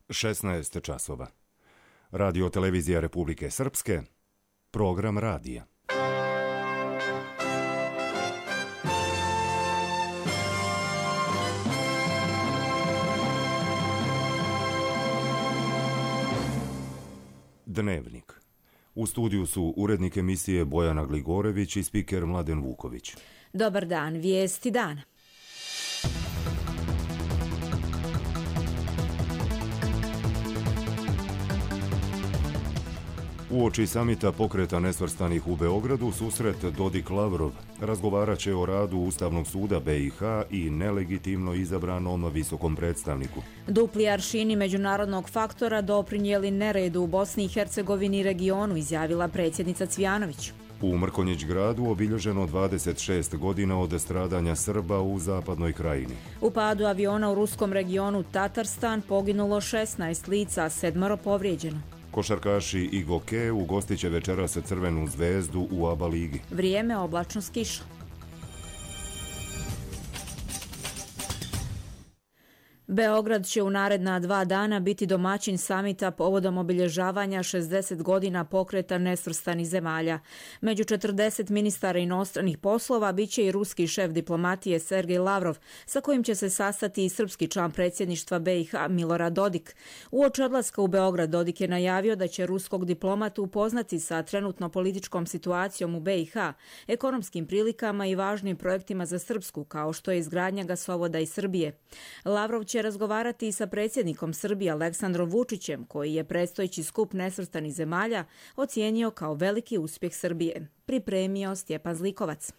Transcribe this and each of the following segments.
16 časova. Radio televizija Republike Srpske, program radija. Dnevnik. U studiju su urednik emisije Bojana Gligorević i spiker Mladen Vuković. Dobar dan, vijesti dana. Uoči samita pokreta nesvrstanih u Beogradu, susret Dodik-Lavrov razgovarat će o radu Ustavnog suda BiH i nelegitimno izabranom visokom predstavniku. Dupli aršini međunarodnog faktora doprinijeli neredu u Bosni i Hercegovini i regionu, izjavila predsjednica Cvjanović. U Mrkonjić gradu obilježeno 26 godina od stradanja Srba u zapadnoj krajini. U padu aviona u ruskom regionu Tatarstan poginulo 16 lica, 7 povrijeđeno. Košarkaši Igoke ugostit će večeras Crvenu zvezdu u ABA ligi. Vrijeme oblačno s kišom. Beograd će u naredna 2 dana biti domaćin samita povodom obilježavanja 60 godina pokreta nesvrstanih zemalja. Među 40 ministara inostranih poslova bit će i ruski šef diplomatije Sergej Lavrov, sa kojim će se sastati i srpski član predsjedništva BiH Milorad Dodik. Uoči odlaska u Beograd Dodik je najavio da će ruskog diplomatu upoznati sa trenutno političkom situacijom u BiH, ekonomskim prilikama i važnim projektima za Srpsku, kao što je izgradnja gasovoda iz Srbije. Lavrov će razgovarati i sa predsjednikom Srbije Aleksandrom Vučićem, koji je predstojeći skup nesvrstanih zemalja ocijenio kao veliki uspjeh Srbije. Pripremio Stjepan Zlikovac.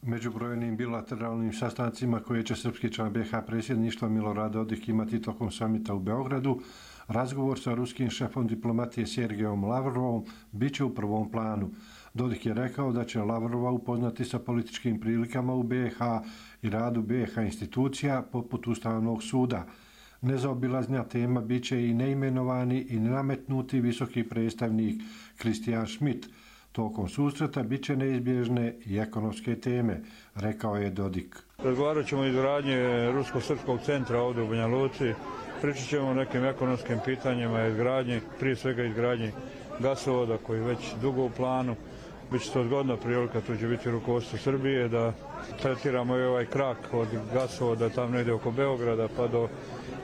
Među brojnim bilateralnim sastancima koje će srpski član BiH predsjedništva Milorad Dodik imati tokom samita u Beogradu, razgovor sa ruskim šefom diplomatije Sergejom Lavrovom bit će u prvom planu. Dodik je rekao da će Lavrova upoznati sa političkim prilikama u BiH i radu BiH institucija poput Ustavnog suda. Nezaobilaznja tema bit će i neimenovani i nenametnuti visoki predstavnik Kristijan Schmidt. Tokom susreta bit će neizbježne i ekonomske teme, rekao je Dodik. Razgovarat ćemo o izgradnji Rusko-Srpskog centra ovdje u Banja Luci. Pričat ćemo o nekim ekonomskim pitanjima, izgradnji, prije svega izgradnji gasovoda koji je već dugo u planu. Biće to zgodna prilika, tu će biti rukovodstvo Srbije da tretiramo i ovaj krak od gasovoda tam negdje oko Beograda pa do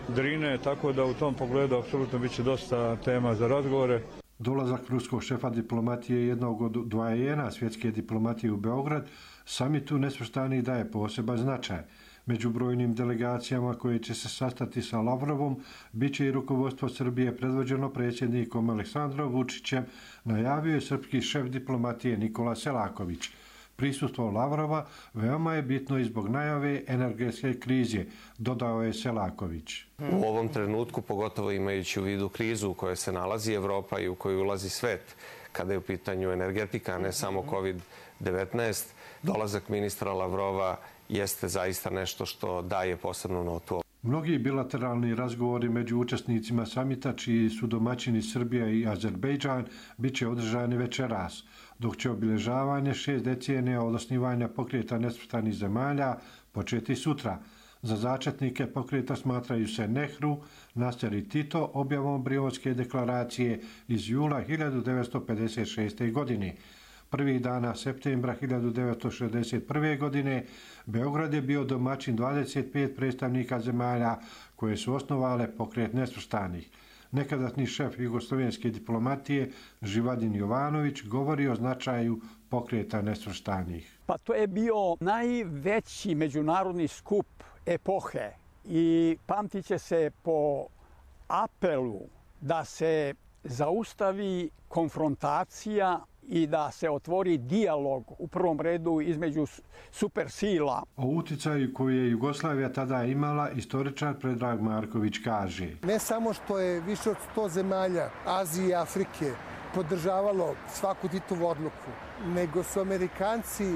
Drine, tako da u tom pogledu apsolutno bit će dosta tema za razgovore. Dolazak ruskog šefa diplomatije jednog od dvajena svjetske diplomatije u Beograd samitu nesvrstanih daje poseban značaj. Među brojnim delegacijama koje će se sastati sa Lavrovom bit će i rukovodstvo Srbije predvođeno predsjednikom Aleksandrom Vučićem, najavio je srpski šef diplomatije Nikola Selaković. Prisustvo Lavrova veoma je bitno i zbog najave energetske krize, dodao je Selaković. U ovom trenutku, pogotovo imajući u vidu krizu u kojoj se nalazi Evropa i u kojoj ulazi svet, kada je u pitanju energetika, a ne samo COVID-19, dolazak ministra Lavrova jeste zaista nešto što daje posebnu notu. Mnogi bilateralni razgovori među učesnicima samita, čiji su domaćini Srbija i Azerbejdžan, bit će održani večeras, dok će obilježavanje 6 decenija od osnivanja pokreta nesvrstanih zemalja početi sutra. Za začetnike pokreta smatraju se Nehru, Nasser i Tito objavom Brionske deklaracije iz jula 1956. godine. Prvih dana septembra 1961. godine Beograd je bio domaćin 25 predstavnika zemalja koje su osnovale pokret nesvrstanih. Nekadašnji šef jugoslovenske diplomatije Živadin Jovanović govori o značaju pokreta nesvrstanih. Pa to je bio najveći međunarodni skup epohe i pamtit će se po apelu da se zaustavi konfrontacija i da se otvori dijalog u prvom redu između supersila. O uticaju koju je Jugoslavija tada imala, istoričar Predrag Marković kaže. Ne samo što je više od 100 zemalja Azije i Afrike podržavalo svaku Titovu odluku, nego su Amerikanci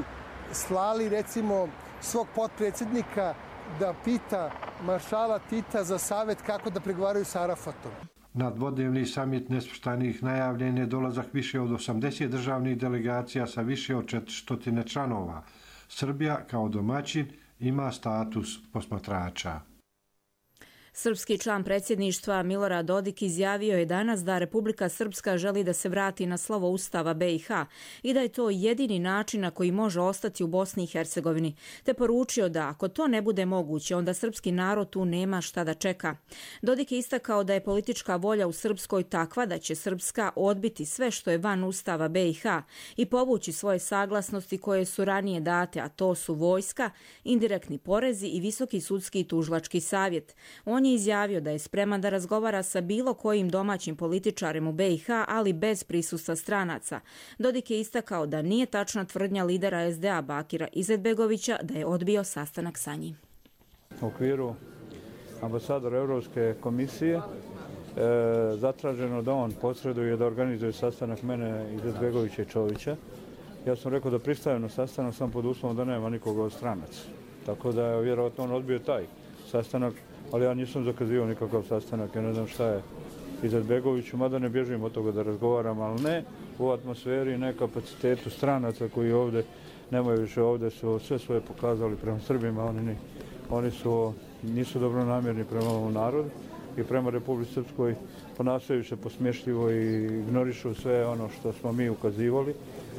slali recimo svog potpredsjednika da pita maršala Tita za savjet kako da pregovaraju sa Arafatom. Na dvodnevni samit nesvrstanih najavljen je dolazak više od 80 državnih delegacija sa više od 400 članova. Srbija kao domaćin ima status posmatrača. Srpski član predsjedništva Milorad Dodik izjavio je danas da Republika Srpska želi da se vrati na slovo Ustava BiH i da je to jedini način na koji može ostati u Bosni i Hercegovini, te poručio da ako to ne bude moguće, onda srpski narod tu nema šta da čeka. Dodik je istakao da je politička volja u Srpskoj takva da će Srpska odbiti sve što je van Ustava BiH i povući svoje saglasnosti koje su ranije date, a to su vojska, indirektni porezi i Visoki sudski i tužilački savjet. On je izjavio da je spreman da razgovara sa bilo kojim domaćim političarem u BiH, ali bez prisustva stranaca. Dodik je istakao da nije tačna tvrdnja lidera SDA Bakira Izetbegovića da je odbio sastanak sa njim. U okviru ambasadora Europske komisije zatraženo da on posreduje da organizuje sastanak mene, Izetbegovića i Čovića. Ja sam rekao da pristajem na sastanak sam pod uslovom da nema nikoga od stranaca. Tako da je vjerojatno on odbio taj sastanak, ali ja nisam zakazivao nikakav sastanak, ja ne znam šta je Izetbegoviću, mada ne bježim od toga da razgovaram, ali ne u atmosferi, ne kapacitetu stranaca koji ovdje nemaju više, ovdje su sve svoje pokazali prema Srbima, oni nisu dobronamjerni prema ovom narodu i prema Republici Srpskoj, ponašaju se posmješljivo i ignorišu sve ono što smo mi ukazivali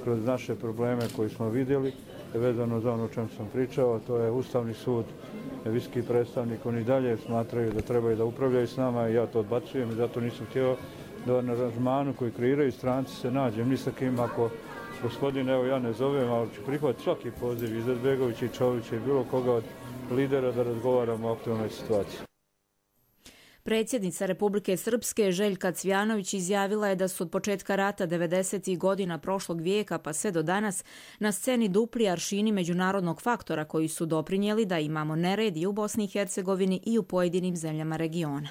kroz naše probleme koji smo vidjeli, vezano za ono o čem sam pričao, to je Ustavni sud, visoki predstavnik, oni dalje smatraju da trebaju da upravljaju s nama i ja to odbacujem i zato nisam htio da na aranžmanu koji kreiraju stranci se nađem ni sa kim. Ako gospodin, evo ja ne zovem, ali ću prihvatiti svaki poziv Izetbegovića i Čovića i bilo koga od lidera da razgovaramo o aktualnoj situaciji. Predsjednica Republike Srpske Željka Cvjanović izjavila je da su od početka rata 90. godina prošlog vijeka pa sve do danas na sceni dupli aršini međunarodnog faktora koji su doprinijeli da imamo nered i u Bosni i Hercegovini i u pojedinim zemljama regiona.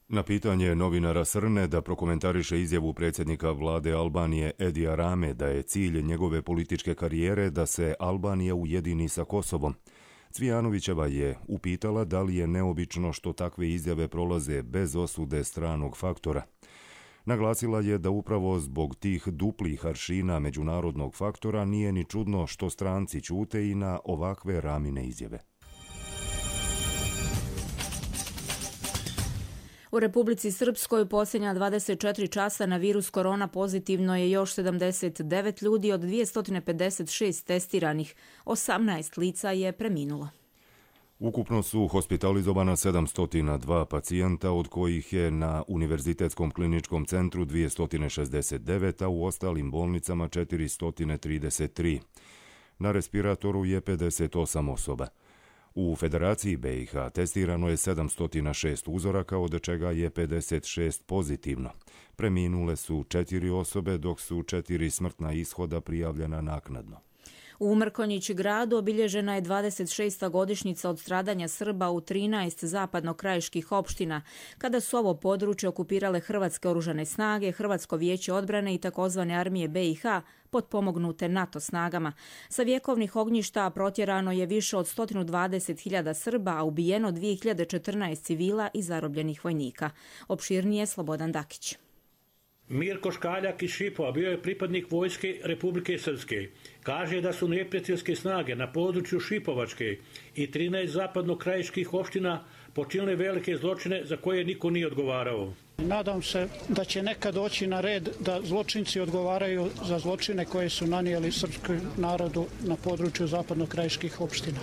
Na pitanje novinara Srne da prokomentariše izjavu predsjednika vlade Albanije Edija Rame da je cilj njegove političke karijere da se Albanija ujedini sa Kosovom, Cvijanovićeva je upitala da li je neobično što takve izjave prolaze bez osude stranog faktora. Naglasila je da upravo zbog tih duplih aršina međunarodnog faktora nije ni čudno što stranci ćute i na ovakve Ramine izjave. U Republici Srpskoj posljednja 24 časa na virus korona pozitivno je još 79 ljudi od 256 testiranih. 18 lica je preminulo. Ukupno su hospitalizovana 702 pacijenta, od kojih je na Univerzitetskom kliničkom centru 269, a u ostalim bolnicama 433. Na respiratoru je 58 osoba. U Federaciji BiH testirano je 706 uzoraka, od čega je 56 pozitivno. Preminule su 4 osobe, dok su 4 smrtna ishoda prijavljena naknadno. U Mrkonjić gradu obilježena je 26. godišnjica od stradanja Srba u 13 zapadno-krajiških opština, kada su ovo područje okupirale Hrvatske oružane snage, Hrvatsko vijeće odbrane i takozvane armije BiH, potpomognute NATO snagama. Sa vjekovnih ognjišta protjerano je više od 120.000 Srba, a ubijeno 2014 civila i zarobljenih vojnika. Opširnije Slobodan Dakić. Mirko Škaljak iz Šipova bio je pripadnik vojske Republike Srpske. Kaže da su neprijateljske snage na području Šipovačke i 13 zapadno-krajiških opština počinile velike zločine za koje niko nije odgovarao. Nadam se da će nekad doći na red da zločinci odgovaraju za zločine koje su nanijeli srpskom narodu na području zapadno-krajiških opština.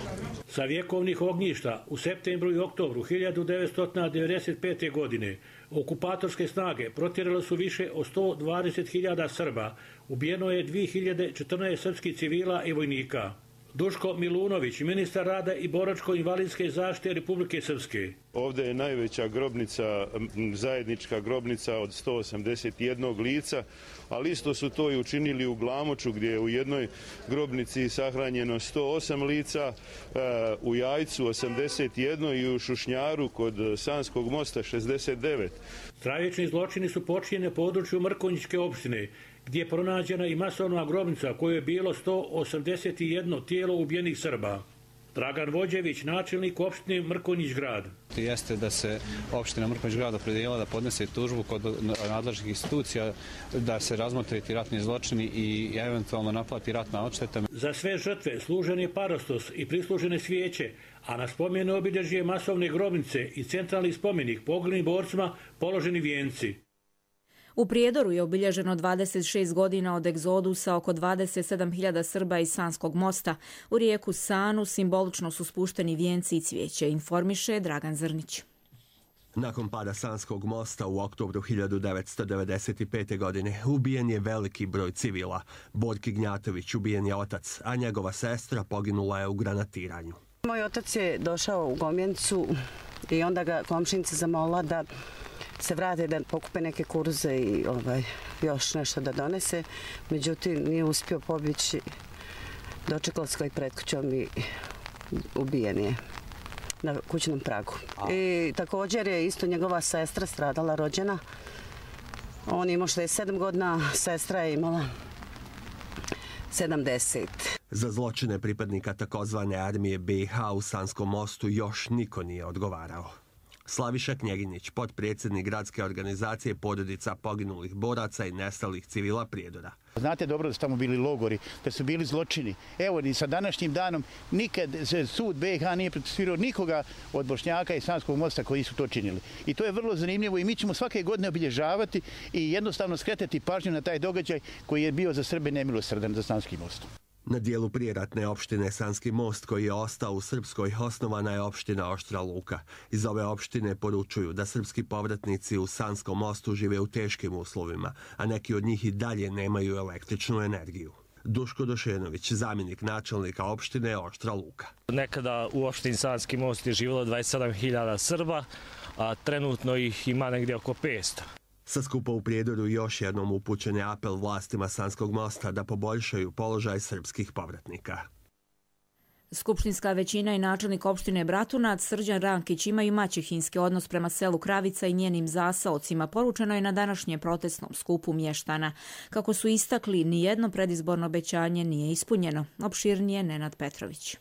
Sa vjekovnih ognjišta u septembru i oktobru 1995. godine okupatorske snage protjerale su više od 120.000 Srba. Ubijeno je 2014 srpskih civila i vojnika. Duško Milunović, ministar rada i boračko-invalidske zaštite Republike Srpske. Ovdje je najveća grobnica, zajednička grobnica od 181 lica, ali isto su to i učinili u Glamoču, gdje je u jednoj grobnici sahranjeno 108 lica, u Jajcu 81 i u Šušnjaru kod Sanskog mosta 69. Stravični zločini su počinjeni na području Mrkonjićke opštine, gdje je pronađena i masovna grobnica koju je bilo 181 tijelo ubijenih Srba. Dragan Vođević, načelnik opštine Mrkonjić grad. Jeste da se opština Mrkonjić grad opredijelila da podnese tužbu kod nadležnih institucija, da se razmotre ti ratni zločini i eventualno naplati ratna odšteta. Za sve žrtve služen je parastos i prislužene svijeće, a na spomenu obilježje masovne grobnice i centralni spomenik poginulim borcima položeni vijenci. U Prijedoru je obilježeno 26 godina od egzodusa oko 27.000 Srba iz Sanskog mosta. U rijeku Sanu simbolično su spušteni vijenci i cvijeće, informiše Dragan Zrnić. Nakon pada Sanskog mosta u oktobru 1995. godine ubijen je veliki broj civila. Borki Gnjatović ubijen je otac, a njegova sestra poginula je u granatiranju. Moj otac je došao u Gomjencu i onda ga komšinica zamolila da se vrate da pokupe neke kurze i još nešto da donese. Međutim, nije uspio pobjeći, dočekala se i pred kućom i ubijen je na kućnom pragu. I također je isto njegova sestra stradala, rođena. On je imao 67 godina, sestra je imala 70. Za zločine pripadnika takozvane armije BiH u Sanskom mostu još niko nije odgovarao. Slaviša Knjeginić, potpredsjednik gradske organizacije porodica poginulih boraca i nestalih civila Prijedora. Znate dobro da su tamo bili logori, da su bili zločini. Evo i sa današnjim danom nikad sud BiH nije procesuirao nikoga od Bošnjaka i Sanskog mosta koji su to činili. I to je vrlo zanimljivo i mi ćemo svake godine obilježavati i jednostavno skretati pažnju na taj događaj koji je bio za Srbe nemilosrdan za Sanski most. Na dijelu prijeratne opštine Sanski most koji je ostao u Srpskoj osnovana je opština Oštra Luka. Iz ove opštine poručuju da srpski povratnici u Sanskom mostu žive u teškim uslovima, a neki od njih i dalje nemaju električnu energiju. Duško Došenović, zamjenik načelnika opštine Oštra Luka. Nekada u opštini Sanski most je živjelo 27.000 Srba, a trenutno ih ima negdje oko 500. Sa skupa u Prijedoru još jednom upućen je apel vlastima Sanskog mosta da poboljšaju položaj srpskih povratnika. Skupštinska većina i načelnik opštine Bratunac Srđan Rankić imaju maćehinski odnos prema selu Kravica i njenim zasaocima, poručeno je na današnjem protestnom skupu mještana. Kako su istakli, nijedno predizborno obećanje nije ispunjeno. Opširnije Nenad Petrović.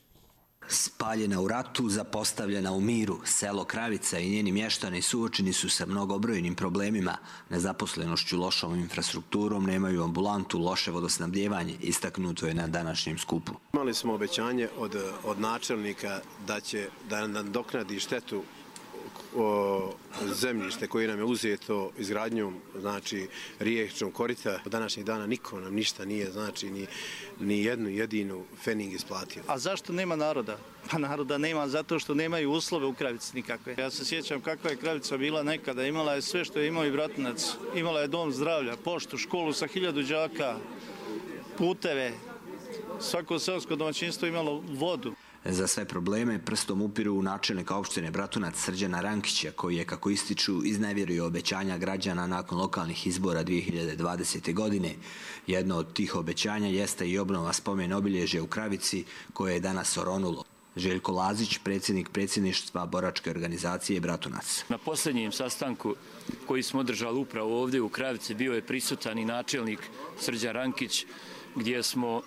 Spaljena u ratu, zapostavljena u miru, selo Kravica i njeni mještani suočeni su sa mnogobrojnim problemima, nezaposlenošću, lošom infrastrukturom, nemaju ambulantu, loše vodosnabdijevanje, istaknuto je na današnjem skupu. Imali smo obećanje od načelnika da nam nadoknadi štetu zemljište koje nam je uzeto izgradnjom, znači riječnog korita. Od današnjih dana niko nam ništa nije, znači ni jednu jedinu fening isplatio. A zašto nema naroda? Pa naroda nema zato što nemaju uslove u Kravici nikakve. Ja se sjećam kakva je Kravica bila nekada. Imala je sve što je imao i Bratunac. Imala je dom zdravlja, poštu, školu sa 1000 đaka, puteve. Svako seosko domaćinstvo imalo vodu. Za sve probleme prstom upiru načelnika opštine Bratunac Srđana Rankića, koji je, kako ističu, iznevjerio obećanja građana nakon lokalnih izbora 2020. godine. Jedno od tih obećanja jeste i obnova spomen obilježja u Kravici, koje je danas oronulo. Željko Lazić, predsjednik predsjedništva boračke organizacije Bratunac. Na posljednjem sastanku koji smo održali upravo ovdje u Kravici bio je prisutan i načelnik Srđan Rankić, gdje smo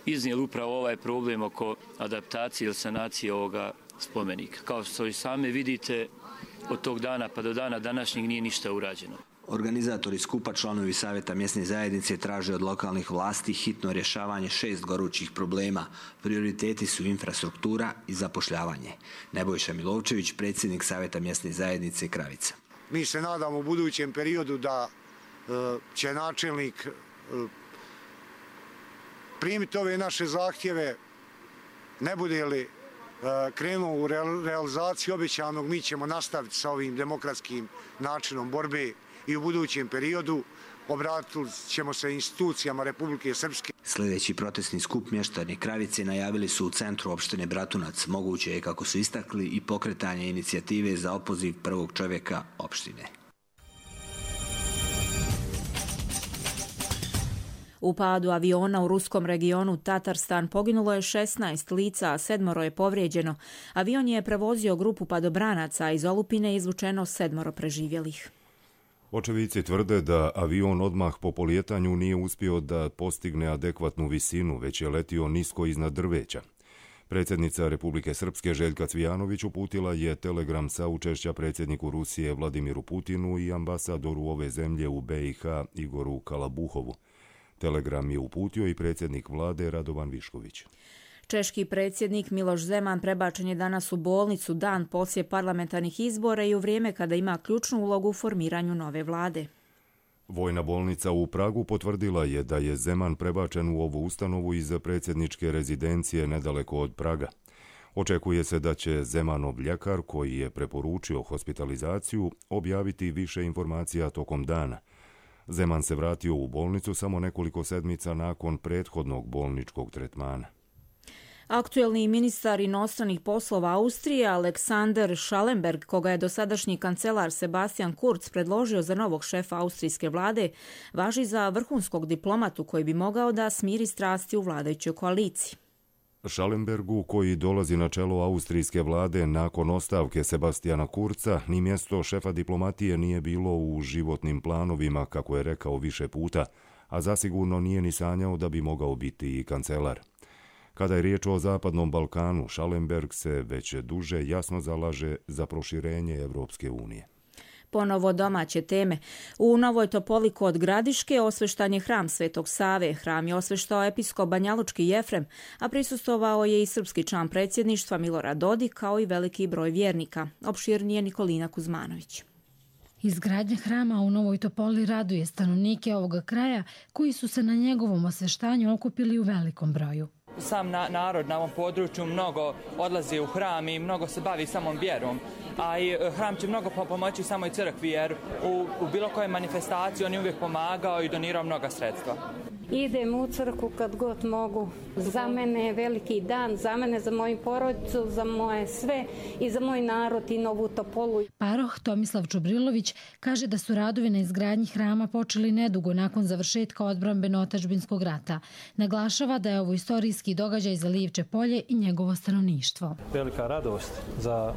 iznijeli upravo ovaj problem oko adaptacije ili sanacije ovoga spomenika. Kao što i sami vidite, od tog dana pa do dana današnjeg nije ništa urađeno. Organizatori skupa, članovi Savjeta mjesne zajednice, traže od lokalnih vlasti hitno rješavanje 6 gorućih problema. Prioriteti su infrastruktura i zapošljavanje. Nebojša Milovčević, predsjednik Savjeta mjesne zajednice Kravica. Mi se nadamo u budućem periodu da će načelnik primiti ove naše zahtjeve, ne bude li krenuo u realizaciju obećanog, mi ćemo nastaviti sa ovim demokratskim načinom borbe i u budućem periodu obratili ćemo se institucijama Republike Srpske. Sljedeći protestni skup mještani Kravice najavili su u centru opštine Bratunac. Moguće je, kako su istakli, i pokretanje inicijative za opoziv prvog čovjeka opštine. U padu aviona u ruskom regionu Tatarstan poginulo je 16 lica, a 7 je povrijeđeno. Avion je prevozio grupu padobranaca, a iz olupine je izvučeno 7 preživjelih. Očevici tvrde da avion odmah po polijetanju nije uspio da postigne adekvatnu visinu, već je letio nisko iznad drveća. Predsjednica Republike Srpske Željka Cvijanović uputila je telegram saučešća predsjedniku Rusije Vladimiru Putinu i ambasadoru ove zemlje u BiH Igoru Kalabuhovu. Telegram je uputio i predsjednik vlade Radovan Višković. Češki predsjednik Miloš Zeman prebačen je danas u bolnicu dan poslije parlamentarnih izbora i u vrijeme kada ima ključnu ulogu u formiranju nove vlade. Vojna bolnica u Pragu potvrdila je da je Zeman prebačen u ovu ustanovu iz predsjedničke rezidencije nedaleko od Praga. Očekuje se da će Zemanov ljekar, koji je preporučio hospitalizaciju, objaviti više informacija tokom dana. Zeman se vratio u bolnicu samo nekoliko sedmica nakon prethodnog bolničkog tretmana. Aktuelni ministar inostranih poslova Austrije Alexander Schallenberg, koga je dosadašnji kancelar Sebastian Kurz predložio za novog šefa austrijske vlade, važi za vrhunskog diplomatu koji bi mogao da smiri strasti u vladajućoj koaliciji. Schallenbergu, koji dolazi na čelo austrijske vlade nakon ostavke Sebastiana Kurza, ni mjesto šefa diplomatije nije bilo u životnim planovima, kako je rekao više puta, a zasigurno nije ni sanjao da bi mogao biti i kancelar. Kada je riječ o Zapadnom Balkanu, Schallenberg se već duže jasno zalaže za proširenje Evropske unije. Ponovo domaće teme. U Novoj Topoli kod Gradiške osveštan je hram Svetog Save. Hram je osveštao episkop banjalučki Jefrem, a prisustvovao je i srpski član predsjedništva Milorad Dodik, kao i veliki broj vjernika. Opširnije Nikolina Kuzmanović. Izgradnja hrama u Novoj Topoli raduje stanovnike ovoga kraja koji su se na njegovom osveštanju okupili u velikom broju. Sam narod na ovom području mnogo odlazi u hram i mnogo se bavi samom vjerom, a i hram će mnogo pomoći samoj crkvi jer u bilo kojoj manifestaciji on je uvijek pomagao i donirao mnoga sredstva. Idem u crkvu kad god mogu. Za mene je veliki dan, za mene, za moju porodicu, za moje sve i za moj narod i Novu Topolu. Paroh Tomislav Čubrilović kaže da su radovi na izgradnji hrama počeli nedugo nakon završetka odbrambeno-otadžbinskog rata. Naglašava da je ovo istorijski događaj za Livče polje i njegovo stanovništvo. Velika radost za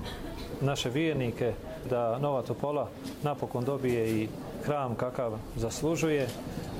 naše vjernike da Nova Topola napokon dobije i hram kakav zaslužuje,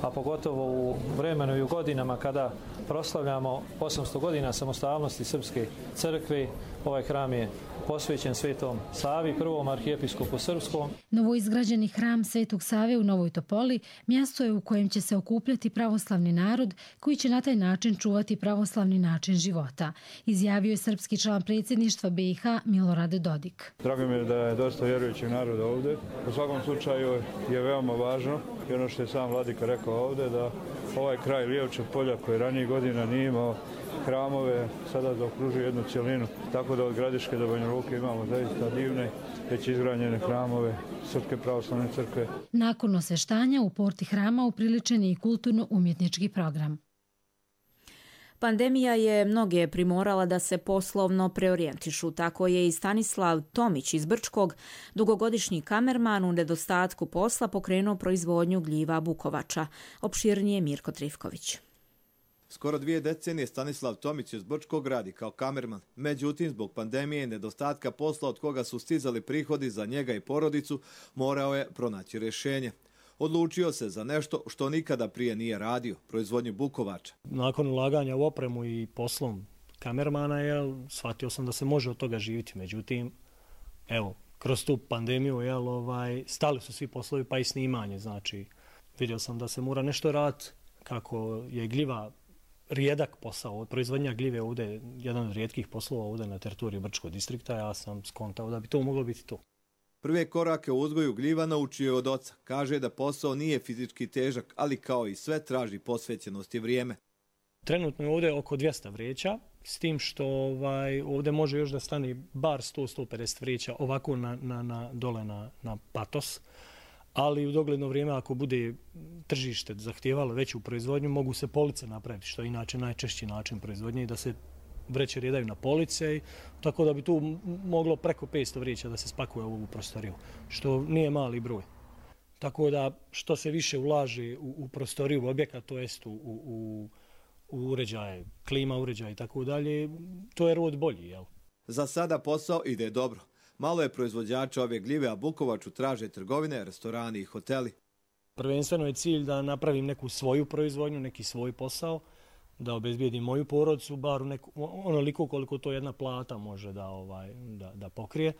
a pogotovo u vremenu i u godinama kada proslavljamo 800 godina samostalnosti Srpske crkve. Ovaj hram je posvećen Svetom Savi, prvom arhijepiskopu srpskom. Novoizgrađeni hram Svetog Save u Novoj Topoli mjesto je u kojem će se okupljati pravoslavni narod koji će na taj način čuvati pravoslavni način života, izjavio je srpski član predsjedništva BiH Milorad Dodik. Drago mi je da je dosta vjerujućeg naroda ovdje. U svakom slučaju je veoma važno i ono što je sam vladika rekao ovdje, da ovaj kraj Lijevčeg polja koji ranije godina nije imao hramove, sada zaokružuje jednu cjelinu, tako da od Gradiške do Banja Luke imamo zaista divne, već izgrađene hramove Srpske pravoslavne crkve. Nakon osveštanja u porti hrama upriličen je i kulturno-umjetnički program. Pandemija je mnoge primorala da se poslovno preorijentišu. Tako je i Stanislav Tomić iz Brčkog, dugogodišnji kamerman, u nedostatku posla pokrenuo proizvodnju gljiva bukovača. Opširnije Mirko Trifković. Skoro 2 decenije Stanislav Tomić iz Brčkog radi kao kamerman. Međutim, zbog pandemije i nedostatka posla od koga su stizali prihodi za njega i porodicu, morao je pronaći rješenje. Odlučio se za nešto što nikada prije nije radio, proizvodnju bukovača. Nakon ulaganja u opremu i poslom kamermana, shvatio sam da se može od toga živjeti. Međutim, evo, kroz tu pandemiju stali su svi poslovi pa i snimanje. Znači, vidio sam da se mora nešto raditi, kako je gljiva rijedak posao. Proizvodnja gljive ovdje jedan od rijetkih poslova ovdje na teritoriju Brčkog distrikta. Ja sam skontao da bi to moglo biti to. Prve korake u uzgoju gljiva naučio je od oca. Kaže da posao nije fizički težak, ali kao i sve traži posvećenost i vrijeme. Trenutno je ovdje oko 200 vreća, s tim što ovdje može još da stane bar 100-150 vreća ovako dole na patos. Ali u dogledno vrijeme, ako bude tržište zahtijevalo veću proizvodnju, mogu se police napraviti, što je inače najčešći način proizvodnje, i da se vreće redaju na police, tako da bi tu moglo preko 500 vreća da se spakuje u ovu prostoriju, što nije mali broj. Tako da što se više ulaže u prostoriju objekta, to jest u uređaje, klima uređaje i tako dalje, to je rod bolji, jel? Za sada posao ide dobro. Malo je proizvođača ove gljive, a bukovaču traže trgovine, restorani i hoteli. Prvenstveno je cilj da napravim neku svoju proizvodnju, neki svoj posao, da obezbijedim moju porodicu, bar onoliko koliko to jedna plata može da pokrije.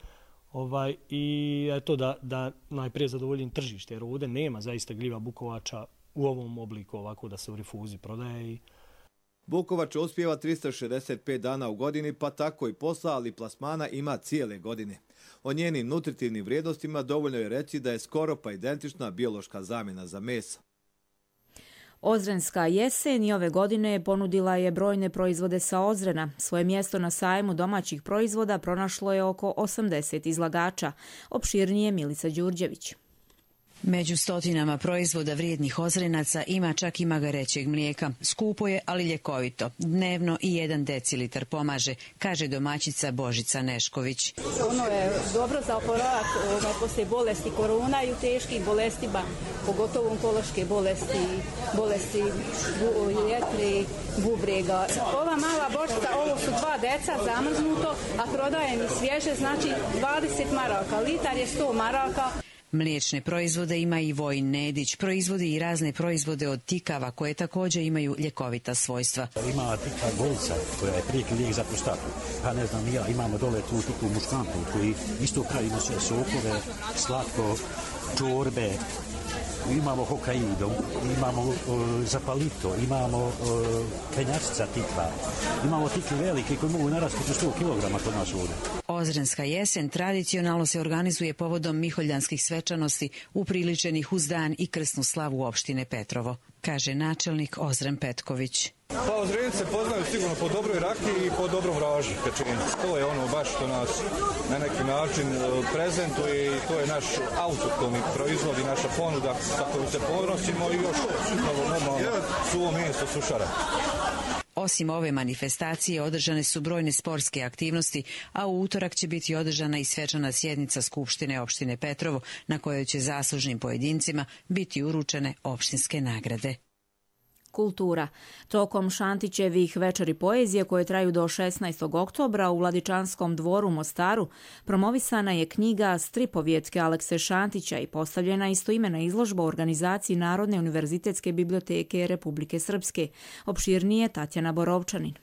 I eto da najprije zadovoljim tržište, jer ovdje nema zaista gljiva bukovača u ovom obliku ovako da se u rifuzi prodaje. Bukovač uspijeva 365 dana u godini, pa tako i posla, ali plasmana ima cijele godine. O njenim nutritivnim vrijednostima dovoljno je reći da je skoro pa identična biološka zamjena za meso. Ozrenska jesen i ove godine ponudila je brojne proizvode sa Ozrena. Svoje mjesto na sajmu domaćih proizvoda pronašlo je oko 80 izlagača. Opširnije Milica Đurđević. Među stotinama proizvoda vrijednih Ozrenaca ima čak i magarećeg mlijeka. Skupo je, ali ljekovito. Dnevno i 1 decilitar pomaže, kaže domaćica Božica Nešković. Ono je dobro za oporavak poslije bolesti korona i u teških bolestima, pogotovo onkološke bolesti jetre, bubrega. Ova mala bočica, ovo su 2 deca zamrznuto, a prodajem i svježe, znači 20 maraka. Litar je 100 maraka. Mliječne proizvode ima i Vojin Nedić. Proizvodi i razne proizvode od tikava koje također imaju ljekovita svojstva. Ima tika golca koja je prijeki lijek za prostatu. Pa ne znam ja, imamo dole tu tiku muškantu koji isto pravimo sve sokove, slatko, čorbe. Imamo hokaido, imamo zapalito, imamo penjačica tikva, imamo tikve velike koji mogu narasti do 100 kg kod nas ovdje. Ozrenska jesen tradicionalno se organizuje povodom miholjanskih svečanosti upriličenih uz dan i krsnu slavu opštine Petrovo, kaže načelnik Ozren Petković. Pa Ozrenci se poznaju sigurno po dobroj rakiji i po dobrom raži pečenici. To je ono baš što nas na neki način prezentuje i to je naš autohtoni proizvod i naša ponuda sa kojom se ponosimo i još normalno suvo meso sušara. Osim ove manifestacije održane su brojne sportske aktivnosti, a u utorak će biti održana i svečana sjednica Skupštine opštine Petrovo na kojoj će zaslužnim pojedincima biti uručene opštinske nagrade. Kultura. Tokom Šantićevih večeri poezije koje traju do 16. oktobra u Vladičanskom dvoru u Mostaru promovisana je knjiga Stripovjetke Alekse Šantića i postavljena istoimena izložba u organizaciji Narodne univerzitetske biblioteke Republike Srpske. Opširnije Tatjana Borovčanin.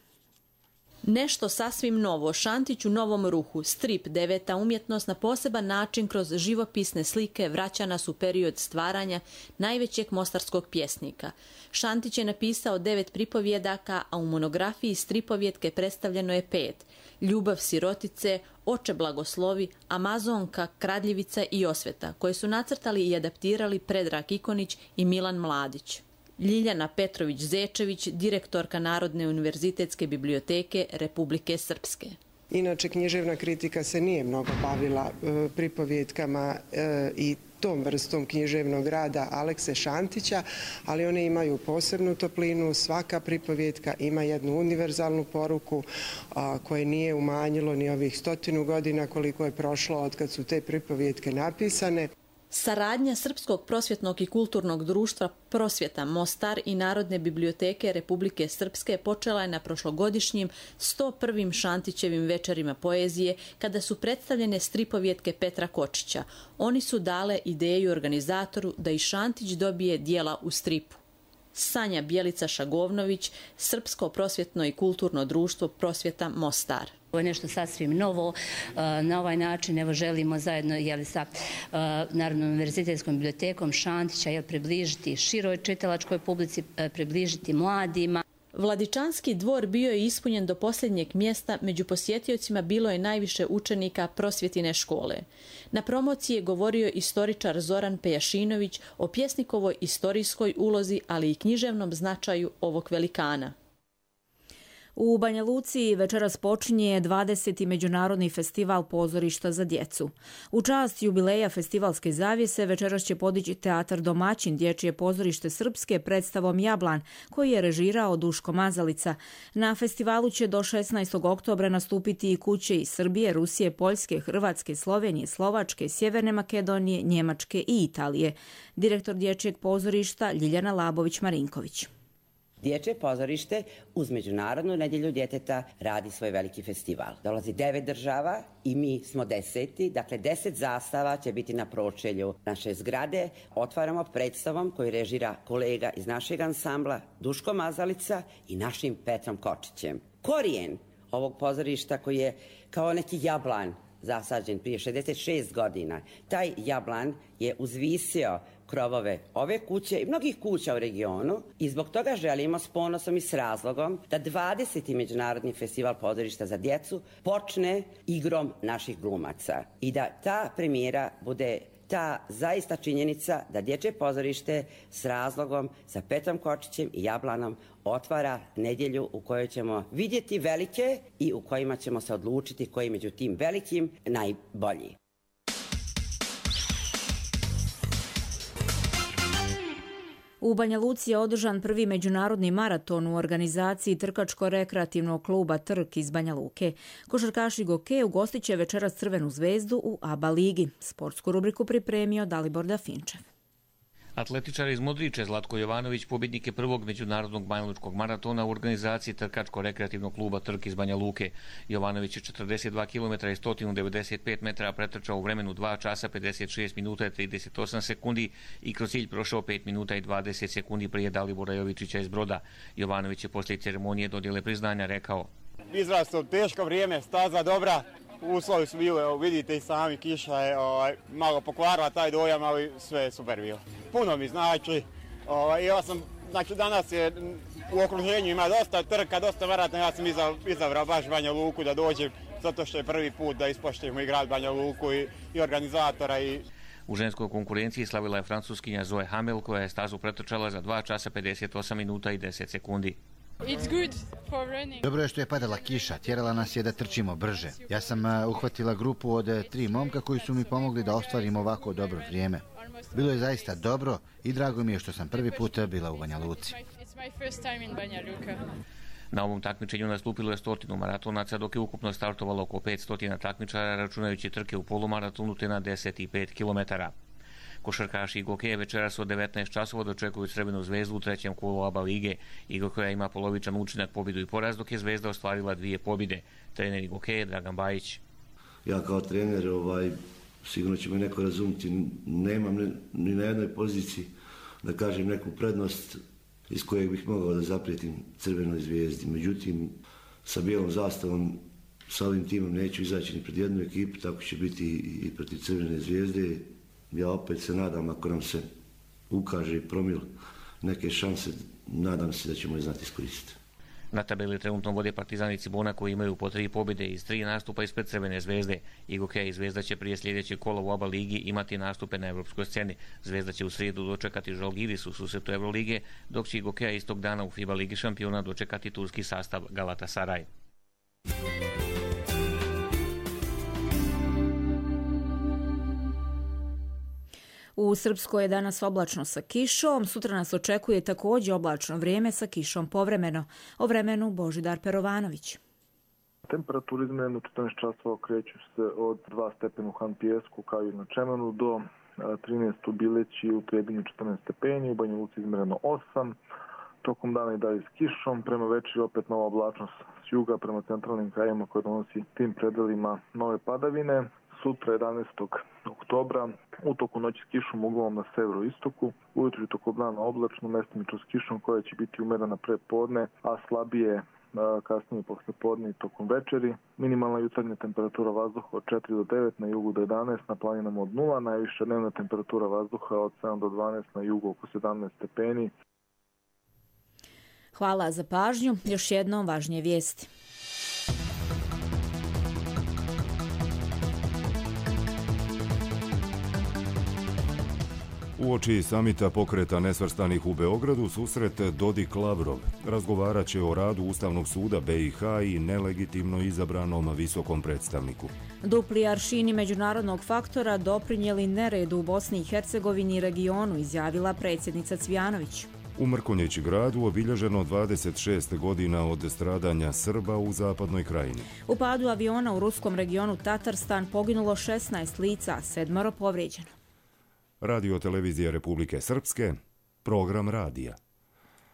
Nešto sasvim novo, Šantić u novom ruhu, strip, 9. umjetnost na poseban način kroz živopisne slike vraća nas u period stvaranja najvećeg mostarskog pjesnika. Šantić je napisao 9 pripovjedaka, a u monografiji Stripovjetke predstavljeno je 5. Ljubav sirotice, Oče blagoslovi, Amazonka, Kradljivica i Osveta, koje su nacrtali i adaptirali Predrag Ikonić i Milan Mladić. Ljiljana Petrović-Zečević, direktorka Narodne univerzitetske biblioteke Republike Srpske. Inače, književna kritika se nije mnogo bavila pripovjetkama i tom vrstom književnog rada Alekse Šantića, ali one imaju posebnu toplinu. Svaka pripovjetka ima jednu univerzalnu poruku koje nije umanjilo ni ovih 100 godina koliko je prošlo od kad su te pripovjetke napisane. Saradnja Srpskog prosvjetnog i kulturnog društva Prosvjeta Mostar i Narodne biblioteke Republike Srpske počela je na prošlogodišnjim 101. Šantićevim večerima poezije kada su predstavljene stripovjetke Petra Kočića. Oni su dale ideju organizatoru da i Šantić dobije dijela u stripu. Sanja Bjelica Šagovnović, Srpsko prosvjetno i kulturno društvo Prosvjeta Mostar. Ovo je nešto sasvim novo. Na ovaj način evo želimo zajedno sa Narodnom univerzitetskom bibliotekom Šantića približiti široj čitalačkoj publici, približiti mladima. Vladičanski dvor bio je ispunjen do posljednjeg mjesta, među posjetiocima bilo je najviše učenika prosvjetine škole. Na promociji je govorio istoričar Zoran Pejašinović o pjesnikovoj istorijskoj ulozi, ali i književnom značaju ovog velikana. U Banja Luci večeras počinje 20. Međunarodni festival pozorišta za djecu. U čast jubileja festivalske zavjese večeras će podići teatar Domaćin dječje pozorište Srpske predstavom Jablan, koji je režirao Duško Mazalica. Na festivalu će do 16. oktobra nastupiti i kuće iz Srbije, Rusije, Poljske, Hrvatske, Slovenije, Slovačke, Sjeverne Makedonije, Njemačke i Italije. Direktor dječjeg pozorišta Ljiljana Labović-Marinković. Dječje pozorište uz Međunarodnu nedjelju djeteta radi svoj veliki festival. Dolazi 9 država i mi smo 10. Dakle, 10 zastava će biti na pročelju naše zgrade. Otvaramo predstavom koju režira kolega iz našeg ansambla Duško Mazalica i našim Petrom Kočićem. Korijen ovog pozorišta koji je kao neki jablan zasađen prije 66 godina. Taj jablan je uzvisio krovove ove kuće i mnogih kuća u regionu i zbog toga želimo s ponosom i s razlogom da 20. Međunarodni festival pozorišta za djecu počne igrom naših glumaca i da ta premijera bude ta zaista činjenica da dječje pozorište s razlogom sa Petrom Kočićem i Jablanom otvara nedjelju u kojoj ćemo vidjeti velike i u kojima ćemo se odlučiti koji među tim velikim najbolji. U Banja Luci je održan prvi međunarodni maraton u organizaciji Trkačko-rekreativnog kluba Trk iz Banja Luke. Košarkaši Goke ugostit će večeras Crvenu zvezdu u ABA ligi. Sportsku rubriku pripremio Dalibor Dafinčev. Atletičar iz Modriče Zlatko Jovanović pobjednik je prvog međunarodnog banjalučkog maratona u organizaciji Trkačko-rekreativnog kluba Trk iz Banja Luke. Jovanović je 42 km i 195 metara pretrčao u vremenu 2 časa 56 minuta i 38 sekundi i kroz cilj prošao 5 minuta i 20 sekundi prije Dalibora Jovičića iz Broda. Jovanović je poslije ceremonije dodjele priznanja rekao: Izrasto teško vrijeme, staza dobra. Uslovi su bili, vidite i sami, kiša je malo pokvarila taj dojam, ali sve je super bilo. Puno mi znači, danas je u okruženju ima dosta trka, dosta maratona, ja sam izabrao baš Banja Luku da dođem, zato što je prvi put da ispoštujemo i grad Banja Luku i organizatora. U ženskoj konkurenciji slavila je francuskinja Zoe Hamel koja je stazu pretrčala za 2 časa 58 minuta i 10 sekundi. Dobro je što je padala kiša, tjerala nas je da trčimo brže. Ja sam uhvatila grupu od 3 momka koji su mi pomogli da ostvarim ovako dobro vrijeme. Bilo je zaista dobro i drago mi je što sam prvi put bila u Banja Luci. Na ovom takmičenju nastupilo je 100 maratonaca, dok je ukupno startovalo oko 500 takmičara, računajući trke u polumaratonu te na 10 i 5 kilometara. Košarkaši Igokeje večeras od 19 časova dočekuju Crvenu zvezdu u 3. kolu ABA lige. Igokeja ima polovičan učinak pobjedu i poraz, dok je Zvezda ostvarila 2 pobjede. Trener Igokeje Dragan Bajić. Ja kao trener, sigurno će me neko razumjeti, nemam ni na jednoj poziciji da kažem neku prednost iz kojeg bih mogao da zaprijetim Crvenoj zvezdi. Međutim, sa bijelom zastavom, sa ovim timom neću izaći ni pred jednu ekipu, tako će biti i protiv Crvene zvijezde. Ja opet se nadam, ako nam se ukaže i promil neke šanse, nadam se da ćemo je znati iskoristiti. Na tabeli trenutno vode Partizan i Cibona koji imaju po 3 pobjede iz 3 nastupa ispred Crvene zvezde. Igokeja i Zvezda će prije sljedećeg kola u ABA ligi imati nastupe na evropskoj sceni. Zvezda će u srijedu dočekati Žalgiris u susretu Evrolige, dok će Igokeja istog dana u FIBA ligi šampiona dočekati turski sastav Galatasaray. U Srpskoj je danas oblačno sa kišom, sutra nas očekuje također oblačno vrijeme sa kišom povremeno. O vremenu Božidar Perovanović. Temperature izmjerene u 14 časova kreću se od 2 stepena u Han Pijesku kao i na Čemenu do 13 u Bileći, u Trebinju 14 stepeni, u Banja Luci izmjereno 8. Tokom dana i dalje s kišom, prema večeri opet nova oblačnost s juga prema centralnim krajima koje donosi tim predelima nove padavine. Sutra 11. oktobra, u toku noći s kišom uglavnom na severoistoku, ujutro tokom dana oblačno, mestimično s kišom koja će biti umerena prepodne, a slabije kasnije poslijepodne i tokom večeri. Minimalna jutarnja temperatura vazduha od 4 do 9, na jugu do 11, na planinama od 0, najviša dnevna temperatura vazduha od 7 do 12, na jugu oko 17 stepeni. Hvala za pažnju. Još jednom važnije vijesti. Uoči samita pokreta nesvrstanih u Beogradu susret Dodik-Lavrov razgovarat će o radu Ustavnog suda BiH i nelegitimno izabranom visokom predstavniku. Dupli aršini međunarodnog faktora doprinijeli neredu u Bosni i Hercegovini i regionu, izjavila predsjednica Cvijanović. U Mrkonjići gradu obilježeno 26 godina od stradanja Srba u zapadnoj krajini. U padu aviona u ruskom regionu Tatarstan poginulo 16 lica, 7 povrijeđeno. Radio televizija Republike Srpske, program radija.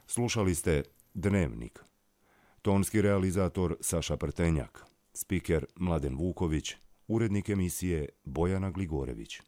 Slušali ste Dnevnik. Tonski realizator Saša Prtenjak. Spiker Mladen Vuković. Urednik emisije Bojana Gligorević.